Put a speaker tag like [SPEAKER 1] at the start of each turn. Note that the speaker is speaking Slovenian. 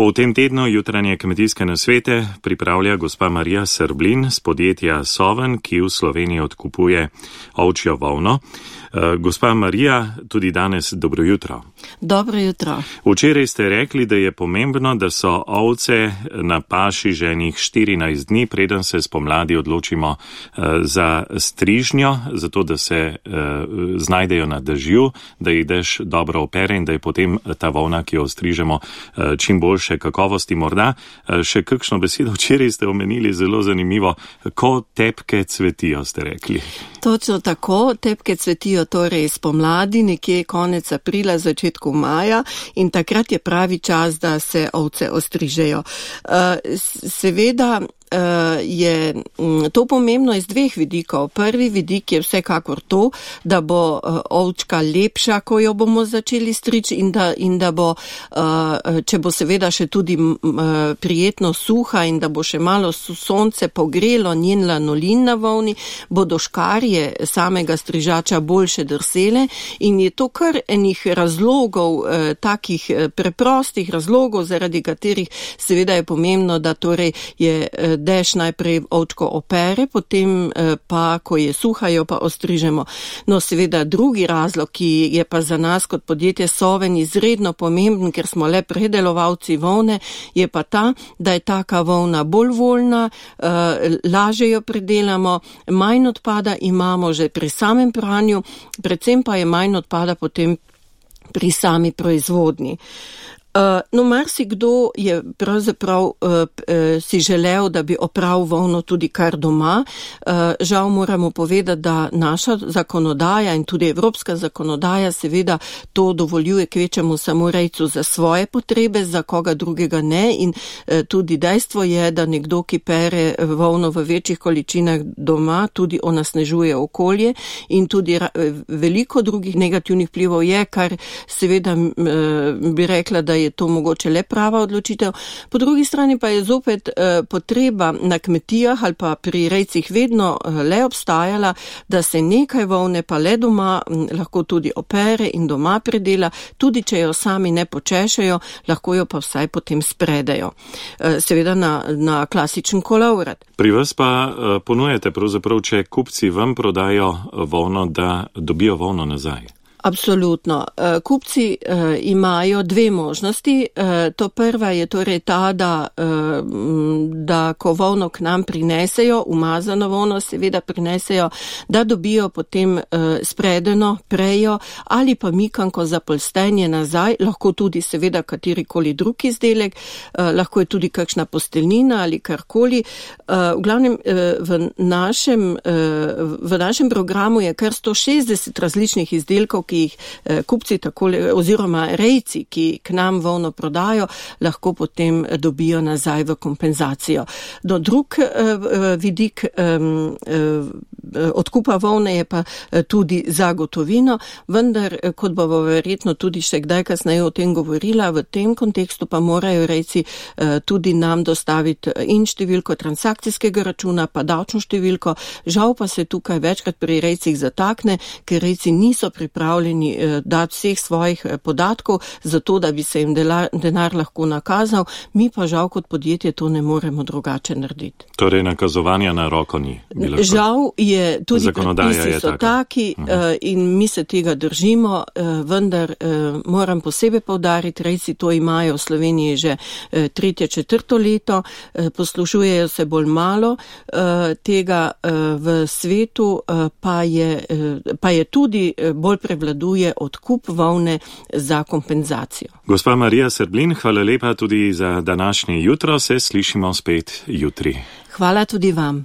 [SPEAKER 1] V tem tednu jutranje kmetijske nasvete pripravlja gospa Marija Srblin z podjetja Soven, ki v Sloveniji odkupuje ovčjo volno. Gospa Marija, tudi danes dobro jutro.
[SPEAKER 2] Dobro jutro.
[SPEAKER 1] Včeraj ste rekli, da je pomembno, da so ovce na paši že enih 14 dni, preden se spomladi odločimo za strižnjo, zato da se znajdejo na dežju, da jih dež dobro opere in da je potem ta volna, ki jo strižemo, čim boljše kakovosti. Morda še kakšno besedo, včeraj ste omenili zelo zanimivo, ko tepke cvetijo, ste rekli.
[SPEAKER 2] Točno tako, tepke cvetijo torej spomladi, nekje konec aprila, začetku maja in takrat je pravi čas, da se ovce ostrižejo. Seveda je to pomembno iz dveh vidikov. Prvi vidik je vsekakor to, da bo ovčka lepša, ko jo bomo začeli striči in da bo, če bo seveda še tudi prijetno suha in da bo še malo sonce pogrelo njen lanolin na volni, bodo škarje samega strižača boljše drsele in je to kar enih razlogov, takih preprostih razlogov, zaradi katerih seveda je pomembno, da torej je dež najprej ovčko opere, potem pa, ko je suha, jo pa ostrižemo. No, seveda drugi razlog, ki je pa za nas kot podjetje Soven izredno pomemben, ker smo le predelovalci volne, je pa ta, da je taka volna bolj voljna, lažje jo predelamo, manj odpada imamo že pri samem pranju, predvsem pa je manj odpada potem pri sami proizvodnji. No, marsikdo je pravzaprav si želel, da bi opral volno tudi kar doma. Žal moramo povedati, da naša zakonodaja in tudi evropska zakonodaja seveda to dovoljuje kvečemu samo rejcu za svoje potrebe, za koga drugega ne in tudi dejstvo je, da nekdo, ki pere volno v večjih količinah doma, tudi onesnažuje okolje in tudi veliko drugih negativnih vplivov je, kar seveda bi rekla, da je to mogoče le prava odločitev. Po drugi strani pa je zopet potreba na kmetijah ali pa pri rejcih vedno le obstajala, da se nekaj volne pa le doma lahko tudi opere in doma predela, tudi če jo sami ne počešejo, lahko jo pa vsaj potem spredejo. Seveda na klasičen kolovrat.
[SPEAKER 1] Pri vas pa ponujete pravzaprav, če kupci vam prodajo volno, da dobijo volno nazaj.
[SPEAKER 2] Absolutno. Kupci imajo dve možnosti. To prva je torej ta, da ko volno k nam prinesejo, umazano volno seveda prinesejo, da dobijo potem spredeno prejo ali pa mikanko za polstenje nazaj, lahko tudi seveda katerikoli drug izdelek, lahko je tudi kakšna posteljnina ali karkoli. V glavnem v našem programu je kar 160 različnih izdelkov, ki jih kupci takole, oziroma rejci, ki k nam volno prodajo, lahko potem dobijo nazaj v kompenzacijo. No, drug vidik odkupa volne je pa tudi za gotovino, vendar, kot bomo verjetno tudi še kdaj kasneje o tem govorila, v tem kontekstu pa morajo rejci tudi nam dostaviti in številko transakcijskega računa, pa davčno številko. Žal pa se tukaj večkrat pri rejcih zatakne, ker rejci niso pripravljeni dati vseh svojih podatkov, zato da bi se jim denar lahko nakazal, mi pa žal kot podjetje to ne moremo drugače narediti.
[SPEAKER 1] Torej nakazovanja na roko ni.
[SPEAKER 2] Žal je tudi predpisi so taki in mi se tega držimo, vendar moram posebej poudariti, rejci to imajo v Sloveniji že 3., 4. leto, poslušujejo se bolj malo tega v svetu, pa je tudi bolj prevladuje odkup volne za kompenzacijo.
[SPEAKER 1] Gospa Marija Srblin, hvala lepa tudi za današnje jutro, se slišimo spet jutri.
[SPEAKER 2] Hvala tudi vam.